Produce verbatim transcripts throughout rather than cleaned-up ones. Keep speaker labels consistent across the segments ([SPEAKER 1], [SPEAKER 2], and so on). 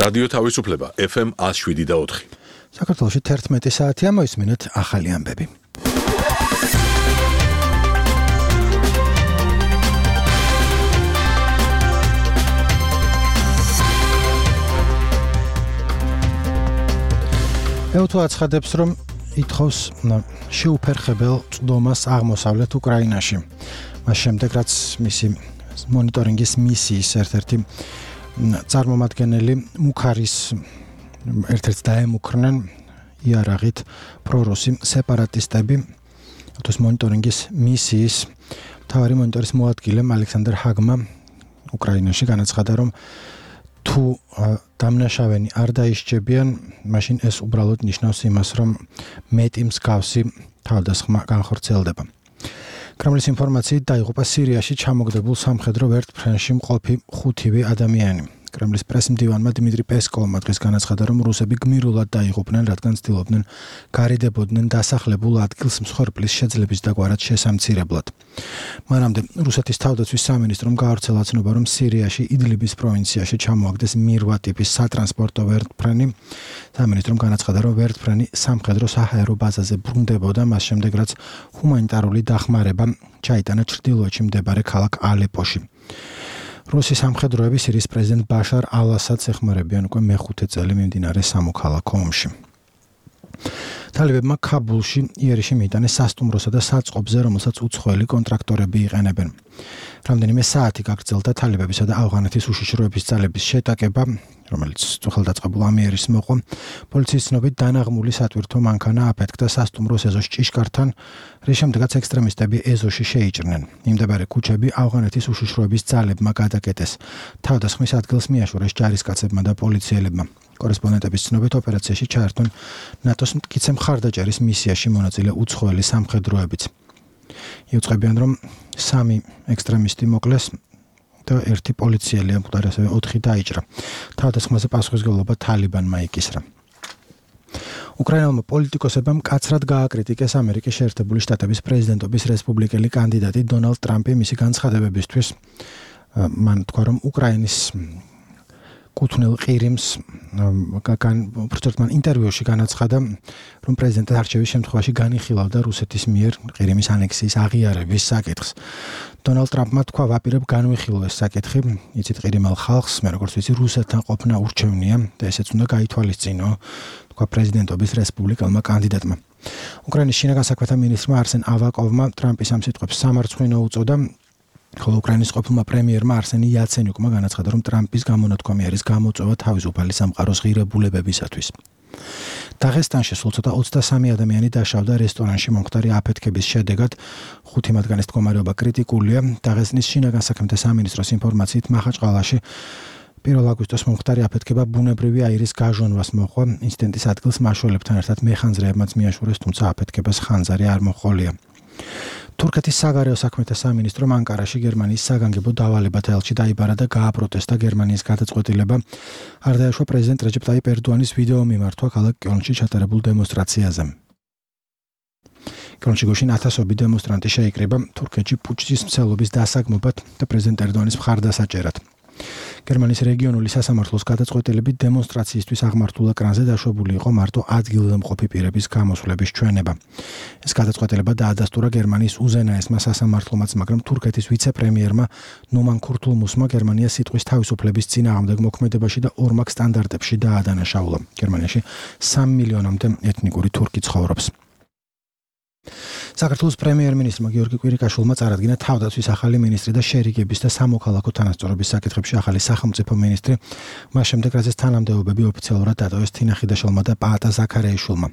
[SPEAKER 1] რადიო თავისუფლება ეფ ემ ათს შვიდი და ოთხი.
[SPEAKER 2] საქართველოში თერთმეტი საათია, მოისმინეთ ახალი ამბები. ევთუ აცხადებს, რომ ითხოვს შეუფერხებელ წვდომას აღმოსავლეთ უკრაინაში. მას შემდეგ, რაც მისი მონიტორინგის მისიის ერთ-ერთი წარმომადგენელი მუქარის ერთ-ერთ დაემუქრნენ იარაღით პრორუსი სეპარატისტები. თვის მონიტორინგის მისიის მთავარი მონიტორის მოადგილემ ალექსანდრ ჰაგმა უკრაინაში განაცხადა, რომ თუ დამნაშავენი არ დაისჯებიან, მაშინ ეს უბრალოდ ნიშნავს იმას, რომ მეტი მსგავსი თავდასხმა განხორციელდება. კრემლის ინფორმაციით დაიღუპა სირიაში ჩამოგდებულ სამხედრო ვერტმფრენში მყოფი ხუთივე ადამიანი. კრემლის პრესმდივანმა დიმიტრი პესკოვმა დღეს განაცხადა, რომ რუსები გმირულად დაიღუპნენ, რადგან ცდილობდნენ გარიდებოდნენ დასახლებულ ადგილს მსხვერპლის შეძლების დაგვარად შესამცირებლად. მანამდე რუსეთის თავდაცვის სამინისტრომ გაავრცელა ცნობა, რომ სირიაში იდლიბის პროვინციაში ჩამოაგდეს მირვა ტიპის სატრანსპორტო ვერტმფრენი. სამინისტრომ განაცხადა, რომ ვერტმფრენი სამხედრო საჰაერო ბაზაზე ბრუნდებოდა, მას შემდეგ რაც ჰუმანიტარული დახმარება ჩაიტანა ჩრდილოეთში მდებარე ქალაქ ალეპოში. რუსი სამხედროები სირიის პრეზიდენტ ბაშარ ალ-ასადს ეხმარებიან უკვე მეხუთე წელი მიმდინარე სამოქალაქო ომში. თალებებმა ქაბულში იერიში მიიტანეს სასტუმროსა და საწყობზე, რომელსაც უცხოელი კონტრაქტორები იყენებენ. რამდენიმე საათი გაგრძელდა თალებებისა და ავღანეთის უშიშროების ძალების შეტაკება, რომელიც სახელდაწყებულ ამიერის მოყვა. პოლიციის ცნობით დანაღმული სატვირთო მანქანა აფეთქდა სასტუმროს ეზოს ჭიშკართან, რის შემდეგაც ექსტრემისტები ეზოში შეიჭრნენ. მიმდებარე ქუჩები ავღანეთის უშიშროების ძალებმა გადაკეტეს. თავდასხმის ადგილს მიაშურეს ჯარისკაცებმა და პოლიციელებმა. კორესპონდენტების ცნობით ოპერაციაში ჩაერთონ ნატოს მტკიცე მხარდაჭერის მისიაში მონაწილე უცხოელი სამხედროებიც. იუწყებიან, რომ სამი ექსტრემისტი მოკლეს და ერთი პოლიციელი ამკვდარ, ასევე ოთხი დაიჭრა. თავდასხმაზე პასუხისმგებლობა თალიბანმა იკისრა. უკრაინელმა პოლიტიკოსებმა მკაცრად გააკრიტიკეს ამერიკის შეერთებული შტატების პრეზიდენტობის რესპუბლიკელი კანდიდატი დონალდ ტრამპი მისი განცხადებებისთვის. მან თქვა, რომ უკრაინის კუთვნილ ყირიმს პრეზიდენტმა ინტერვიუში განაცხადა, რომ პრეზიდენტის არჩევის შემთხვევაში განიხილავდა რუსეთის მიერ ყირიმის ანექსიის აღიარების საკითხს. დონალდ ტრამპმა თქვა, ვაპირებ განვიხილო ეს საკითხი, იცით ყირიმელ ხალხს, მე როგორც ვიცი, რუსეთთან ყოფნა ურჩევნია და ესეც უნდა გაითვალისწინო, თქვა პრეზიდენტობის რესპუბლიკელმა კანდიდატმა. უკრაინის შინაგან საქმეთა მინისტრმა არსენ ავაკოვმა ტრამპის ამ სიტყვებს სამარცხვინო უწოდა. ხოლო უკრაინის ყოფილმა პრემიერმა არსენი იაცენიუკმა განაცხადა, რომ ტრამპის გამონათქვამი არის გამოწვევა თავისუფალი სამყაროს ღირებულებებისათვის. დაღესტანში სულ ცოტა ოცდასამი ადამიანი დაშავდა რესტორანში მომხდარი აფეთქების შედეგად, ხუთი მათგანის მდგომარეობა კრიტიკულია. დაღესტნის შინაგან საქმეთა სამინისტროს ინფორმაციით მაჰაჩყალაში პირველ აგვისტოს მომხდარი აფეთქება ბუნებრივი აირის გაჟონვას მოჰყვა. ინციდენტის ადგილს მაშველებთან ერთად მეხანძრეებმაც მიაშურეს, თუმცა აფეთქებას ხანძარი არ მოჰყოლია. თურქეთის საგარეო საქმეთა სამინისტრომ ანკარაში გერმანიის საგანგებო დავალებათა ელჩი დაიბარა და გააპროტესტა გერმანიის გადაწყვეტილება არ დაეშვა პრეზიდენტ რეჯეპ ტაიპ ერდოანის ვიდეო მიმართვა ქალაქ კელნში ჩატარებულ დემონსტრაციაზე. კელნში გუშინ ათასობით დემონსტრანტი შეიკრიბა თურქეთში პუჩის მცველობის დასაგმობად და პრეზიდენტ ერდოანის მხარდასაჭერად. გერმანიის რეგიონული სასამართლოს გადაწყვეტილებით დემონსტრაციისთვის აღმართულ ეკრანზე დაშვებული იყო მარტო ადგილზე მყოფი პირების გამოსვლების ჩვენება. ეს გადაწყვეტილება დაადასტურა გერმანიის უზენაესმა სასამართლომაც, მაგრამ თურქეთის ვიცე-პრემიერმა ნუმან ქურთულმუსმა გერმანიას სიტყვის თავისუფლების წინააღმდეგ მოქმედებაში და ორმაგ სტანდარტებში დაადანაშაულა. გერმანიაში სამი მილიონამდე ეთნიკური თურქი ცხოვრობს. საქართველოს პრემიერ-მინისტრმა გიორგი კვირიკაშვილმა წარადგინა თავდაცვის ახალი მინისტრი და შერიგების და სამოქალაქო თანასწორობის საკითხებში ახალი სახელმწიფო მინისტრი. მას შემდეგ, რაც ეს თანამდებობები ოფიციალურად დატოვეს თინა ხიდაშვილმა და პაატა ზაქარიაშვილმა.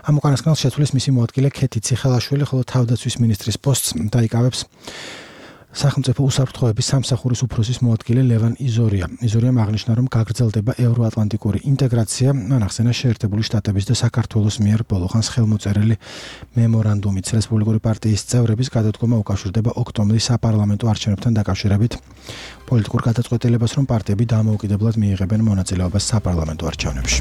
[SPEAKER 2] ამ უკანასკნელს შეცვლის მისი მოადგილე ქეთი ციხელაშვილი, ხოლო თავდაცვის მინისტრის პოსტს დაიკავებს სახელმწიფო უსაფრთხოების სამსახურის უფროსის მოადგილე ლევან იზორია. იზორიამ აღნიშნა, რომ გაგრძელდება ევროატლანტიკური ინტეგრაცია, მან ახსენა შეერთებული შტატების და საქართველოს მიერ ბოლოხანს ხელმოწერილი მემორანდუმით. რესპუბლიკური პარტიის წევრების გადადგომა უკავშირდება ოქტომბრის საპარლამენტო არჩევნებთან დაკავშირებით. პოლიტიკურ გადაწყვეტილებას, რომ პარტიები დამოუკიდებლად მიიღებენ მონაწილეობას საპარლამენტო არჩევნებში.